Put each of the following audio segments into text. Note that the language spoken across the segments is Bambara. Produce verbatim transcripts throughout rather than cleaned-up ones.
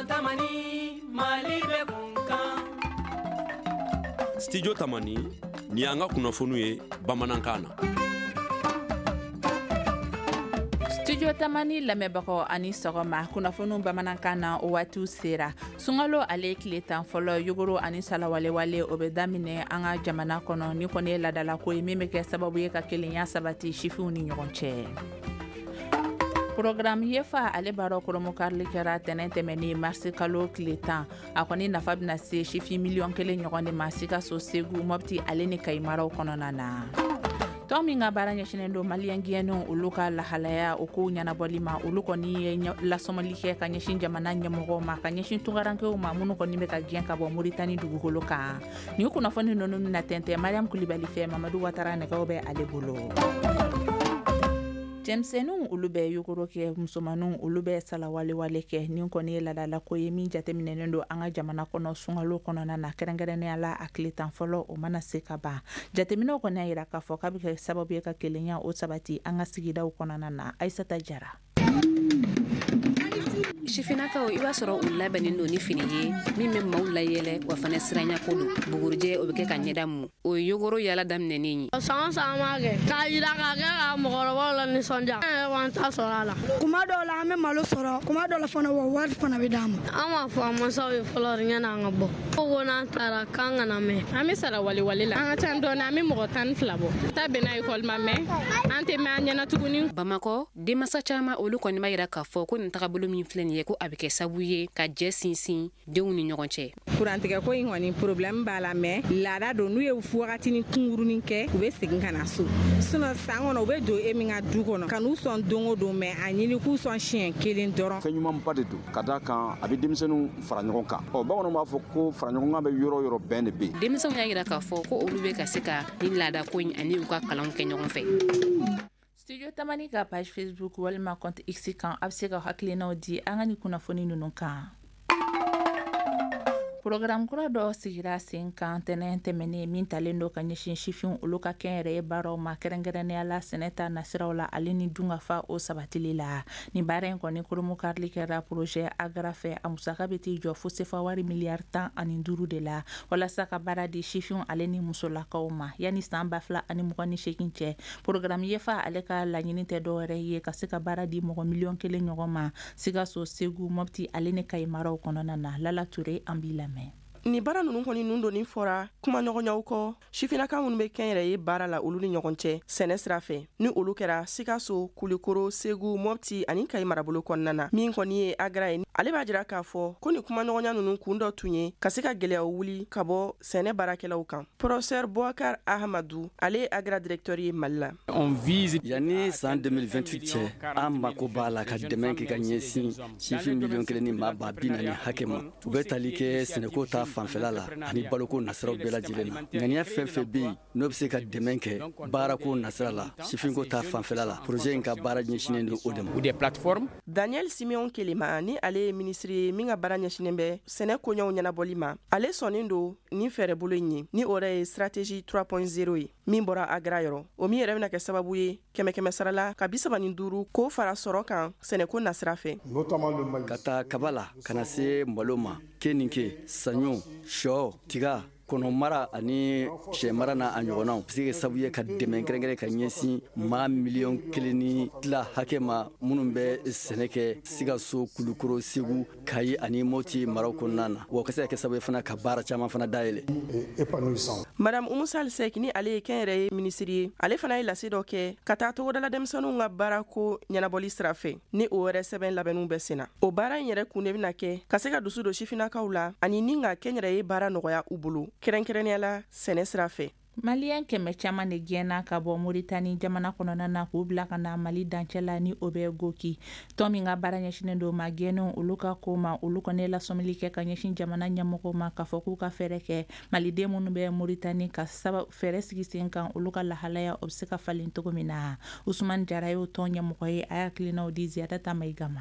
Tamani, Mali bɛ kunkan. Studio Tamani, ni y'an ka kunnafoniw ye bamanankan na. Studio Tamani lamɛnbagaw ani sɔgɔma, kunnafoniw bamanankan na o waatiw sera. Sunkalo ale tile tan fɔlɔ, yogoro ani salawalewale o bɛ daminɛ an ka jamana kɔnɔ. Ni kɔni ye laadalako ye min bɛ kɛ sababu ye ka kelenya sabati sifinw ni ɲɔgɔn cɛ. Programme YEFA ale baara koromokarili kɛra tɛnɛn tɛmɛnen marisi kalo tile tan. A kɔni nafa bɛna se sifin miliyɔn kelen ɲɔgɔn de ma Sikaso, Segu, Mɔpti ale ni Kayi maraw kɔnɔna na. Tɔn min ka baara ɲɛsinnen don maliyɛn gɛnnenw olu ka lahalaya o kow ɲɛnabɔli ma, olu kɔni ye lasɔmɔli kɛ ka ɲɛsin jamana ɲɛmɔgɔw ma, ka ɲɛsin tunkarankew ma minnu kɔni bɛ ka gɛn ka bɔ Moritani dugukolo kan. Nin kunnafoni ninnu bɛna tɛntɛn Mariam Kulibali fɛ, Mamadu Watara nɛgɛw bɛ ale bolo. Cɛmisɛnninw olu bɛ yogoro kɛ, musomaninw olu bɛ salawalewale kɛ. Nin kɔni ye laadalako ye min jateminɛnen don an ka jamana kɔnɔ sunkalo kɔnɔna na, kɛrɛnkɛrɛnnenya la a tile tan fɔlɔ o mana se ka ban. Jateminɛw kɔni y'a jira k'a fɔ k'a bɛ kɛ sababu ye ka kelenya o sabati an ka sigidaw kɔnɔna na. Ayisata Jara. Sifinnakaw, i b'a sɔrɔ u labɛnnen don ni fini ye min bɛ maaw layɛlɛ, wa fana siranya ko don. Bugurijɛ o bɛ kɛ ka ɲɛda mu, o ye yogoro yala daminɛnen ye. San o san an b'a kɛ k'a yira k'a kɛ ka mɔgɔkɔrɔbaw la nisɔndiya. An yɛrɛ b'an ta sɔrɔ a la. Kuma dɔw la an bɛ malo sɔrɔ, kuma dɔw la fana wa wari fana bɛ d'an ma. An b'a fɔ an mansaw ye fɔlɔ de ɲɛna an ka bɔ. Ko ko n'an taara k'an kana mɛn. An bɛ sara wale-wale la. An ka ca dɔɔni, an bɛ mɔgɔ tan ni fila bɔ. Ta bɛnna ekɔli ma mɛ an tɛ mɛn an ɲɛna tuguni. Bamakɔ denmansa caman olu kɔni b'a yira k'a fɔ ko nin tagabolo min filɛ nin ye, ko a bɛ kɛ sababu ye ka jɛ sinsin denw ni ɲɔgɔn cɛ. Kurantigɛ ko in kɔni, problème b'a la, mɛ laada don. N'u ye wagatinin kunkurunin kɛ, u bɛ segin ka na so. Sinon san kɔnɔ u bɛ don e min ka du kɔnɔ ka n'u sɔn don o don, mɛ a ɲini k'u sɔn siɲɛ kelen dɔrɔn. Fɛn ɲumanba de don, ka d'a kan a bɛ denmisɛnninw fara ɲɔgɔn kan. Ɔ, bamananw b'a fɔ ko fara ɲɔgɔn kan bɛ yɔrɔ yɔrɔ, bɛn de bɛ yen. Denmisɛnw y'a yira k'a fɔ ko olu bɛ ka se ka nin laada ko in ani u ka kalanw kɛ ɲɔgɔn fɛ. Studio Tamani ka page Facebook walima compte X kan, a bɛ se ka hakilinaw di an ka nin kunnafoni ninnu kan. Programme kura dɔ sigira sen kan tɛnɛn tɛmɛnen min talen don ka ɲɛsin sifinw olu ka kɛnyɛrɛye baaraw ma, kɛrɛnkɛrɛnnenya la sɛnɛ ta nasiraw la ale ni dunkafa o sabatili la. Nin baara in kɔni koromokarili kɛra projet AGRA fɛ. A musaka bɛ t'i jɔ fo sefa wari miliyari tan ani duuru de la, walasa ka baara di sifinw ale ni musolakaw ma yanni san ba fila ani mugan ni seegin cɛ. Programme YEFA ale ka laɲini tɛ dɔwɛrɛ ye ka se ka baara di mɔgɔ miliyɔn kelen ɲɔgɔn ma Sikaso, Segu, Mɔpti ale ni Kayi maraw kɔnɔna na. Lala Ture, an b'i lamɛn. Nin baara ninnu kɔni nun donni fɔra kumaɲɔgɔnyaw kɔ sifinnaka minnu bɛ kɛnyɛrɛye baara la olu ni ɲɔgɔn cɛ sɛnɛ sira fɛ, ni olu kɛra Sikaso, Kulikoro, Segu, Mɔpti ani Kayi marabolo kɔnɔna na. Min kɔni ye AGRA ye, ale b'a jira k'a fɔ ko nin kumaɲɔgɔnya ninnu kun dɔ tun ye ka se ka gwɛlɛyaw wuli ka bɔ sɛnɛ baarakɛlaw kan. Professeur Boubacar Ahamadou, ale ye AGRA directeur ye Mali la. Yanni san deux mille vingt-huit cɛ, an mako b'a la ka dɛmɛ kɛ ka ɲɛsin sifin miliyɔn kelen ni maa ba bi naani hakɛ ma. U bɛ tali kɛ sɛnɛko ta fanfɛla la ani baloko nasiraw bɛɛ lajɛlen na. Ŋaniya fɛn fɛn bɛ yen n'o bɛ se ka dɛmɛ kɛ baarako nasira la, sifinko ta fanfɛla la, projet in ka baara ɲɛsinnen don o de ma. Daniel Simeon Kelema, ni ale ye minisiri ye min ka baara ɲɛsinnen bɛ sɛnɛ koɲɛw ɲɛnabɔli ma, ale sɔnnen don nin fɛɛrɛbolo in ye, ni o yɛrɛ ye stratégie trois point zéro ye min bɔra AGRA yɔrɔ, o min yɛrɛ bɛna kɛ sababu ye kɛmɛ kɛmɛ sara la ka bi saba ni duuru k'o fara sɔrɔ kan sɛnɛko nasira fɛ. Ka taa kaba la ka na se malo ma, keninke, saɲɔ, sɔ, tiga, kɔnɔmara ani sɛmara n'a a ɲɔgɔnnaw, bɛ se kɛ sababu ye ka dɛmɛ kɛrɛnkɛrɛn ka ɲɛsin maa miliyɔn kelen ni tila hakɛ ma minnu bɛ sɛnɛ kɛ Sikaso, Kulukoro, Segu, Kayi ani Moti maraw kɔnɔna na, wa ka se ka kɛ sababu ye fana ka baara caman fana dayɛlɛ. Madame Oumou Sall Seck, ni ale ye kɛnyɛrɛye minisiri ye, ale fana ye lase dɔ kɛ ka taa togodala denmisɛnninw ka baarako ɲɛnabɔli sira fɛ, ni o yɛrɛ sɛbɛn labɛnninw bɛ sen na. O baara in yɛrɛ kun de bɛna kɛ ka se ka dusu don sifinnakaw la ani ni ka kɛnyɛrɛye baara nɔgɔya u bolo, kɛrɛnkɛrɛnnenya la sɛnɛ sira fɛ. Maliyɛn kɛmɛ caman de gɛnna ka bɔ Moritani jamana kɔnɔna na k'u bila ka na Mali dancɛ la, ni o bɛ Goki. Tɔn min ka baara ɲɛsinnen don ma gɛnnenw olu ka ko ma, olu kɔni ye lasɔmili kɛ ka ɲɛsin jamana ɲɛmɔgɔw ma k'a fɔ k'u ka fɛɛrɛ kɛ maliden minnu bɛ Moritani, ka saba fɛɛrɛ sigi sen kan olu ka lahalaya o bɛ se ka falen cogo min na. Usumani Jara y'o tɔn ɲɛmɔgɔ ye, a y'a hakilinaw di Ziyadata Mayiga ma.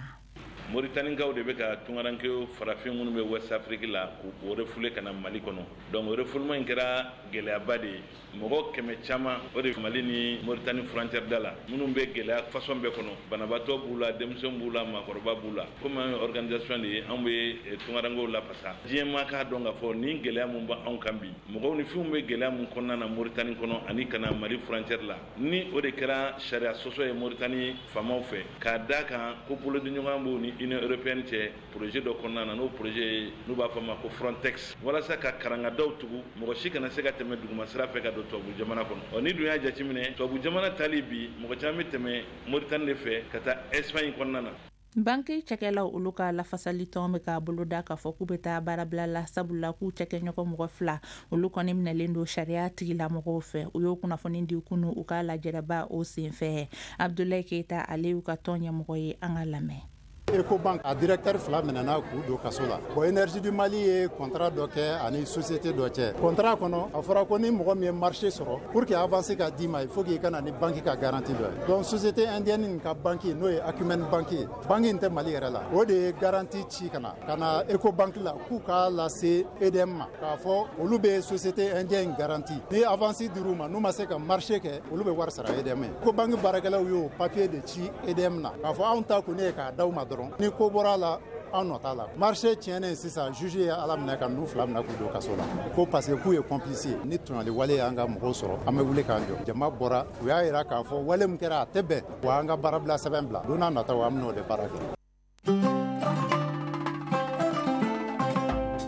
Moritanikaw de bɛ ka tunkarankew farafin minnu bɛ West Afrique la k'u refoulé ka na Mali kɔnɔ. Donc refoulement in kɛra gɛlɛyaba de ye, mɔgɔ kɛmɛ caman o de Mali ni Moritani frontière da la, minnu bɛ gɛlɛya façon bɛɛ kɔnɔ, banabaatɔ b'u la, denmisɛnw b'u la, maakɔrɔba b'u la. Komi an ye organisation de ye, anw bɛ tunkarankew lafasa. Diɲɛ maa k'a dɔn k'a fɔ nin gɛlɛya mun b'anw kan bi, mɔgɔw ni fɛnw bɛ gɛlɛya mun kɔnɔna na Moritani kɔnɔ ani ka na Mali frontière la, ni o de kɛra sariya sɔsɔ ye Moritani faamaw fɛ, k'a d'a kan ko bolodiɲɔgɔn b'u ni Union européenne cɛ projet dɔ kɔnɔna na, n'o projet n'u b'a fɔ a ma ko Frontex, walasa ka karangadaw tugu, mɔgɔ si kana se ka tɛmɛ duguma sira fɛ ka don tubabu jamana kɔnɔ. Ɔ ni dun y'a jateminɛ, tubabu jamana tali bi, mɔgɔ caman bɛ tɛmɛ Moritani de fɛ ka taa Espagne kɔnɔna na. Banki cakɛlaw olu ka lafasali tɔn bɛ k'a boloda k'a fɔ k'u bɛ taa baarabila la, sabula k'u cakɛɲɔgɔn mɔgɔ fila olu kɔni minɛlen don sariya tigilamɔgɔw fɛ. U y'o kunnafoni di kunu u ka lajɛrɛba o senfɛ. Abudulayi Keyita, ale y'u ka tɔn ɲɛmɔgɔ ye, an ka lamɛn. Ecobank a directeur fila minɛna k'u don kaso la. Bon, Énergie du Mali ye contrat dɔ kɛ ani société dɔ cɛ. Contrat kɔnɔ, a fɔra ko ni mɔgɔ min ye marché sɔrɔ, pour que avance ka d'i ma, il faut qu'il ka na ni banque ka garantie dɔ ye. Donc société indienne nin ka banque, n'o ye Acumen Bank ye, banque in tɛ Mali yɛrɛ la, o de ye garantie ci ka na ka na Ecobank la k'u k'a lase E D M ma, k'a fɔ olu bɛ société indienne garantie, ni avance dir'u ma, n'u ma se ka marché kɛ, olu bɛ wari sara E D M ye. Ecobank baarakɛlaw y'o papier de ci E D M na k'a fɔ anw ta kɔni ye k'a d'aw ma dɔrɔn, ni ko bɔra a la, anw nɔ t'a la. Marché tiɲɛnen sisan, juge ye ala minɛ ka ninnu fila minɛ k'u don kaso la, ko parce que k'u ye complice ye. Ni tɔɲɔli wale y'an ka mɔgɔw sɔrɔ, an bɛ wuli k'an jɔ. Jama bɔra, u y'a yira k'a fɔ wale min kɛra, a tɛ bɛn wa. An ka baarabila sɛbɛn bila, don n'a nataw an bɛn'o de baara kɛ.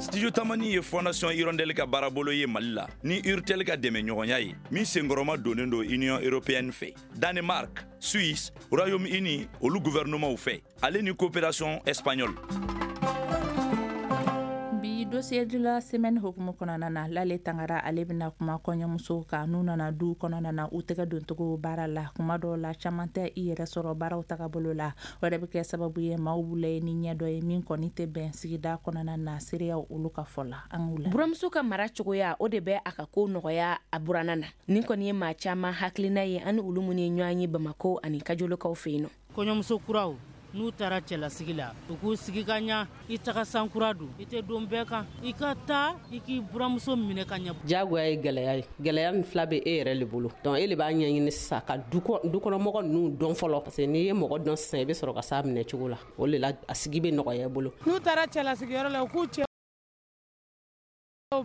Studio Tamani ye Fondation Hirondelle ka baarabolo ye Mali la ni Urtel ka dɛmɛ ɲɔgɔnya ye, min senkɔrɔma donnen don Union européenne fɛ, Danemark, Suisse, Royaume-Uni olu gouvernementw fɛ, ale ni coopération espagnole. Bi dossier de la semaine hukumu kɔnɔna na, Lale Tangara ale bɛna kuma kɔɲɔmusow kan n'u nana du kɔnɔna na, u tɛgɛ doncogo baara la. Kuma dɔw la, caman tɛ i yɛrɛ sɔrɔ baaraw tagabolo la, o yɛrɛ bɛ kɛ sababu ye maaw b'u layɛ ni ɲɛ dɔ ye min kɔni tɛ bɛn sigida kɔnɔna na. Seereyaw olu ka fɔ la, an k'u la. Buramuso ka mara cogoya, o de bɛ a ka ko nɔgɔya a buranna na. Nin kɔni ye maa caman hakilina ye ani olu minnu ye ɲɔgɔn ye Bamako ani Kajolokaw fɛ yen nɔ. Kɔɲɔmuso kuraw n'u taara cɛlasigi la, u k'u sigi ka ɲa. I taga sankura don, i tɛ don bɛɛ kan, i ka taa i k'i buramuso minɛ ka ɲɛ. Diyagoya ye gɛlɛya ye. Gɛlɛya min fila bɛ e yɛrɛ le bolo, donc e le b'a ɲɛɲini sisan ka du kɔnɔmɔgɔ ninnu dɔn fɔlɔ, parce que n'i ye mɔgɔ dɔn sisan, i bɛ sɔrɔ ka s'a minɛ cogo la, o de la a sigi bɛ nɔgɔya i bolo. N'u taara cɛlasigiyɔrɔ la, u k'u cɛ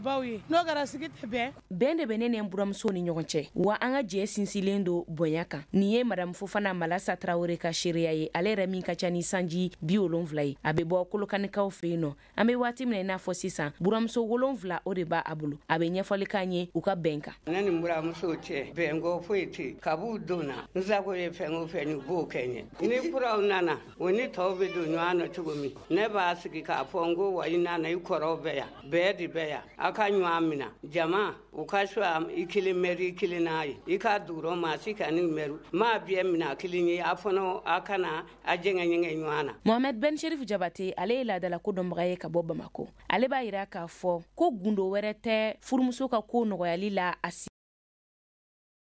baw ye, n'o kɛra sigi tɛ bɛn. Bɛn de bɛ ne ni n buramuso ni ɲɔgɔn cɛ wa, an ka jɛ sinsinlen don bonya kan. Nin ye madamu Fofana Malasa Tarawele ka seereya ye, ale yɛrɛ min ka ca ni sanji bi wolonfila ye, a bɛ bɔ Kolokanikaw fɛ yen nɔ. An bɛ waati min na i n'a fɔ sisan, buramuso wolonfila o de b'a bolo. A bɛ ɲɛfɔli k'an ye u ka bɛn kan. Ne ni n buramusow cɛ, bɛnko foyi tɛ kab'u donna. N sago ye fɛn o fɛn ni u b'o kɛ n ye. Ni kuraw nana, o ni tɔw bɛ don ɲɔgɔn na cogo min, ne b'a sigi k'a fɔ n ko wa, i nana, i kɔrɔw bɛ yan, bɛɛ de bɛ yan, aw ka ɲɔgɔn minɛ. Jama u ka so i kelen mɛri, i kelen n'a ye i ka dugu maa si ka ni mɛri maa bɛɛ minɛ a kelen ye, a fana a kana a jɛngɛ ɲɛgɛn ɲɔgɔn na. Mohamed Ben Sherif Jabate, ale ye laadala ko dɔnbaga ye ka bɔ Bamako. Ale b'a yira k'a fɔ ko gundo wɛrɛ tɛ furumuso ka ko nɔgɔyali la a si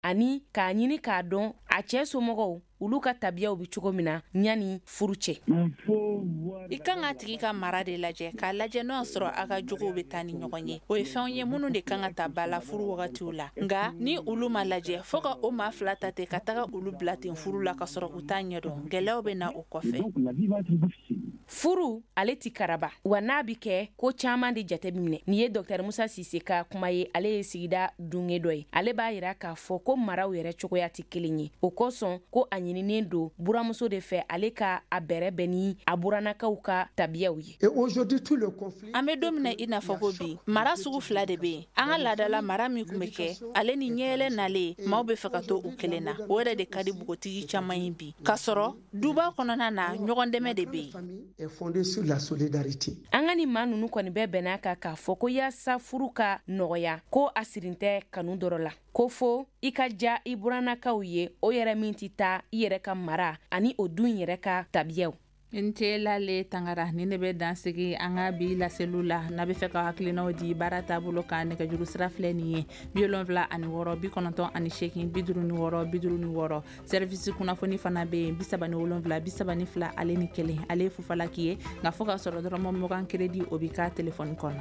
ani k'a ɲini k'a dɔn a cɛɛ somɔgɔw olu ka tabiyaw bi cogo min na ɲani furu cɛ. I kan ka tigi ka mara de lajɛ, k'a lajɛ n'o y'a sɔrɔ a ka jogow bɛ taa ni ɲɔgɔn ye. O ye fɛnw ye minnu de kan ka ta ba la furu wagatiw la, nka ni olu ma lajɛ, fɔɔ ka o maa fila ta ten ka taga olu bila ten furu la ka sɔrɔ u t'a ɲɛdɔn, gɛlɛyaw bɛ na o kɔfɛ. Furu ale ti karaba wa, n'a bi kɛ, ko caaman de jate minɛ. Nin ye Dɔktɛr Musa Sise ka kuma ye, ale ye sigida dunge dɔ ye. Ale b'a yira k'a fɔ ko maraw yɛrɛ cogoya tɛ kelen ye, o kosɔn ko a ɲininen don buramuso de fɛ ale ka a bɛrɛ bɛn ni a burannakaw ka tabiyaw ye. An bɛ don min na i n'a fɔ ko bi, mara sugu fila de bɛ yen. An ka laadala mara min tun bɛ kɛ, ale ni ɲɛyɛlɛ nalen, maaw bɛ fɛ ka to u kelen na, o yɛrɛ de ka di npogotigi caman ye bi, k'a sɔrɔ duba kɔnɔna na, ɲɔgɔn dɛmɛ de bɛ yen. An ka nin maa ninnu kɔni bɛɛ bɛn'a kan k'a fɔ ko yaasa furu ka nɔgɔya, ko a sirin tɛ kanu dɔrɔ la, ko fo i ka ja i burannakaw ye, o yɛrɛ min tɛ taa i yɛrɛ ka mara ani o dun yɛrɛ ka tabiyaw. N Lale Tangara, ni ne bɛ dan sigi an ka bi laseliw la. N'a bɛ fɛ ka hakilinaw di baara taabolo kan, nɛgɛjuru sira filɛ nin ye: bi wolonwula ani wɔɔrɔ bi kɔnɔntɔn ani seegin bi duuru ni wɔɔrɔ bi duuru ni wɔɔrɔ. Service kunnafoni fana bɛ yen: bi saba ni wolonwula bi saba ni fila ale ni kelen. Ale ye fufalaki ye, nka fo ka sɔrɔ dɔrɔmɛ mugan crédit, o b'i ka telefɔni kɔnɔ.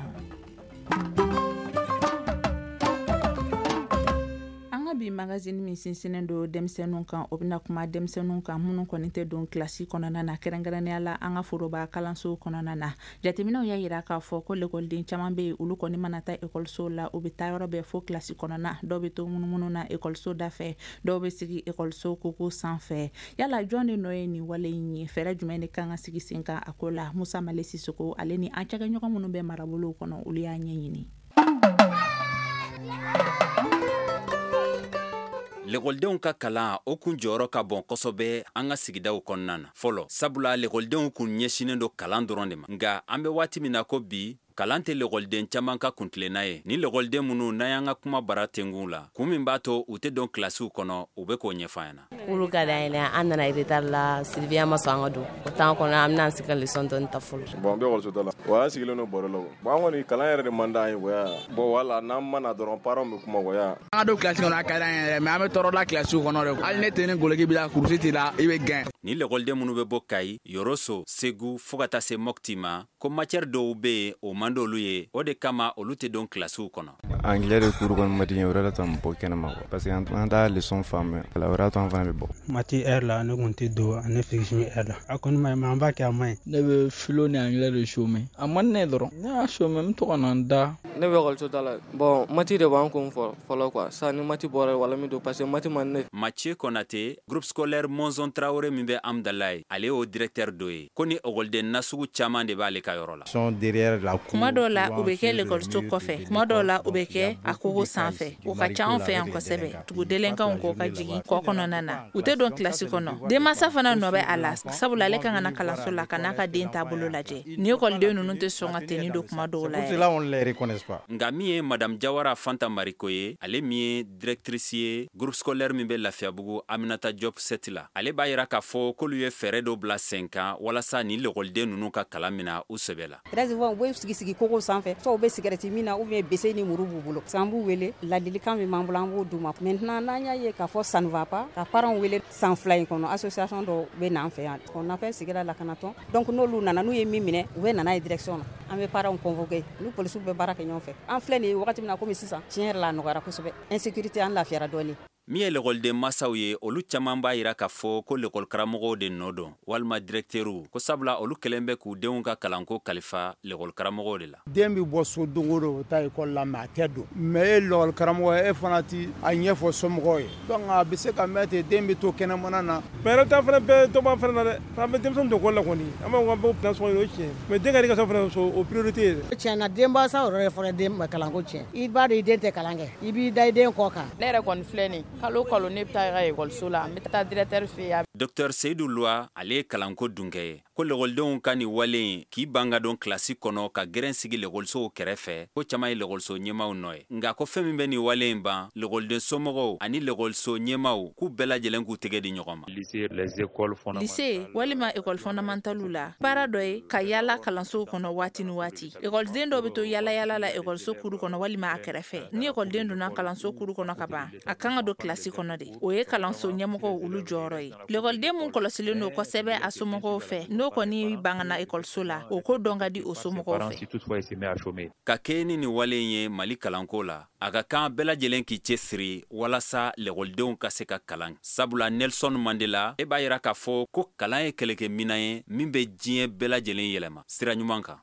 Bi magazine min sinsinnen don denmisɛnninw kan, o bɛna kuma denmisɛnninw kan minnu kɔni tɛ don kilasi kɔnɔna na, kɛrɛnkɛrɛnnenya la an ka foroba kalansow kɔnɔna na. Jateminɛw y'a yira k'a fɔ ko lekɔliden caman bɛ yen, olu kɔni mana taa ekɔliso la, u bɛ taa yɔrɔ bɛɛ fo kilasi kɔnɔna. Dɔw bɛ to munumunu na ekɔliso dafɛ, dɔw bɛ sigi ekɔliso koko sanfɛ. Yala jɔn de nɔ ye nin wale in ye? Fɛɛrɛ jumɛn de kan ka sigi sen kan a ko la? Musa Male Sisoko ale ni an cakɛɲɔgɔn minnu bɛ marabolow kɔnɔ, olu y'a ɲɛɲini. Lekɔlidenw ka kalan, o kun jɔyɔrɔ ka bon kosɛbɛ an ka sigidaw kɔnɔna na fɔlɔ, sabula lekɔlidenw kun ɲɛsinnen don kalan dɔrɔn de ma. Nka an bɛ waati min na ko bi, kalan tɛ lekɔliden caman ka kuntilenna ye. Ni lekɔliden minnu n'an y'an ka kuma bara tengun la, kun min b'a to u tɛ don kilasiw kɔnɔ, u bɛ k'o ɲɛfɔ an ɲɛna. K'olu ka d'an ye, an nana retard la, surveillant ma sɔn an ka don o temps kɔnɔ, an bɛna sigi ka leçon dɔɔni ta fɔlɔ. Bon, an bɛ ekɔliso da la wa, an sigilen don baro la. Bon, an kɔni kalan yɛrɛ de man d'an ye wa. Bon, wala n'an ma na dɔrɔn, parents bɛ kuma wa. An ka don kilasi kɔnɔ, a ka d'an ye yɛrɛ, mais an bɛ tɔɔrɔ la kilasiw kɔnɔ de. Hali ne tɛ ni goloki b'i la, kurusi t'i la, i bɛ gɛn. Ni lekɔliden minnu bɛ bɔ Kayi, Yoroso, Segu fo ka taa se Mɔpti ma, ko matière dɔw bɛ yen, o man d'olu ye, o de kama olu tɛ don kilasiw kɔnɔ. Anglais de cours kɔni ma di n ye, o de to an bɔ kɛnɛma quoi, parce que an t'a leçon faamuya, o de to an fana bɛ bɔ. Maths heure la, ne kun tɛ don ani physique heure la. A kɔni ma ɲi, mais an b'a kɛ, a ma ɲi. Ne bɛ philo ni anglais de chômer, a man di ne ye dɔrɔn, ne y'a chômer, n bɛ to ka na n da. Ne bɛ ekɔliso da la. Bon, maths de b'an kun fɔlɔ quoi, sisan ni maths bɔra wala min don, parce que maths man di ne. Mathieu Konate, groupe scolaire Monzon Traoré min bɛ Amdalaye, ale y'o directeur dɔ ye, ko ni ekɔliden nasugu caman de b'ale ka yɔrɔ la. Kuma dɔw la, u bɛ kɛ lekɔliso kɔfɛ, kuma dɔw la, u bɛ kɛ a kogo sanfɛ. O ka ca anw fɛ yan kosɛbɛ. Tugudelenkanw kɔ ka jigin kɔ kɔnɔna na, u tɛ don kilasi kɔnɔ. Denmansa fana nɔ bɛ a la, sabula ale kan ka na kalanso la ka n'a ka den taabolo lajɛ. Ni ekɔliden ninnu tɛ sɔn ka tenue don kuma dɔw la yɛrɛ. Nka min ye madame Jawara Fanta Mariko ye, ale min ye directrice ye groupe scolaire min bɛ Lafiyabugu Aminata Diop sept la, ale b'a yira k'a fɔ k'olu ye fɛɛrɛ dɔ bila sen kan walasa ni lekɔliden ninnu ka kalan mina u sɛbɛ la. Très souvent, u bɛ sigi sigi kogo sanfɛ, soit u bɛ cigarette min na, ou bien bese ni muru b'u bolo. An b'u wele, ladilikan min b'an bolo, an b'o d'u ma. Maintenant, n'an y'a ye k'a fɔ ça ne va pas, ka parents wele. San fila in kɔnɔ, association dɔw bɛ na an fɛ yan, on appelle sigida lakanatɔn. Donc n'olu nana, n'u ye min minɛ, u bɛ na n'a ye direction na, an bɛ parents convoquer, ni policiers bɛ baara kɛ ɲɔgɔn fɛ. An filɛ nin ye wagati min na komi sisan, tiɲɛ yɛrɛ la, a nɔgɔyara kosɛbɛ, insécurité, an lafiyara dɔɔnin. Min ye lekɔliden masaw ye, olu caman b'a yira k'a fɔ ko lekɔlikaramɔgɔw de nɔ don walima directeurw, ko sabula olu kɛlen bɛ k'u denw ka kalanko kalifa lekɔlikaramɔgɔw de la. Den bɛ bɔ so don o don, o taa ekɔli la, mais a tɛ don. Mais e lekɔlikaramɔgɔ, e fana ti a ɲɛfɔ somɔgɔw ye, donc a bɛ se ka mɛn ten, den bɛ to kɛnɛmana na. Mais yɛrɛ ta fana bɛɛ dɔ b'an fana na dɛ, an bɛ denmisɛnw don ekɔli la kɔni, an b'a fɔ k'an b'o bila so kɔnɔ, o ye tiɲɛ, mais den ka di ka so fana, o priorité ye. Tiɲɛ na, denmansaw yɛrɛ fana den kalanko tiɲɛ. I b'a dɔn i den tɛ kalan kɛ, i b'i da i den kɔ kan. Ne yɛrɛ kɔni filɛ nin, kalo kalo ne bɛ taa ka ekɔliso la, n bɛ taa directeur fɛ yen. Docteur Seydou Loa, ale ye kalanko dunkɛ ye, ko lekɔlidenw ka nin wale in k'i ban ka don kilasi kɔnɔ ka gɛrɛn sigi lekɔlisow kɛrɛfɛ, ko caman ye lekɔliso ɲɛmaw nɔ ye. Nka ko fɛn min bɛ nin wale in ban, lekɔliden somɔgɔw ani lekɔliso ɲɛmaw k'u bɛɛ lajɛlen k'u tɛgɛ di ɲɔgɔn ma. Lycée walima école fondamentale la, baara dɔ ye ka yaala kalansow kɔnɔ waati ni waati. Ekɔliden dɔw bɛ to yaala yaala la ekɔliso kuru kɔnɔ walima a kɛrɛfɛ. Ni ekɔliden donna kalanso kuru kɔnɔ ka ban, a kan ka don kilasi kɔnɔ de. O ye kalanso ɲɛmɔgɔw olu jɔyɔrɔ ye. Lekɔliden mun kɔlɔsilen don kosɛbɛ a somɔgɔw fɛ, n'o kɔni bangana ekɔliso la, o ko dɔn ka di o somɔgɔw fɛ. Ka kɛɲɛ ni nin wale in ye Mali kalanko la, a ka kan bɛɛ lajɛlen k'i cɛsiri walasa lekɔlidenw ka se ka kalan. Sabula Nelson Mandela e b'a yira k'a fɔ ko kalan ye kɛlɛkɛminan ye min bɛ diɲɛ bɛɛ lajɛlen yɛlɛma sira ɲuman kan.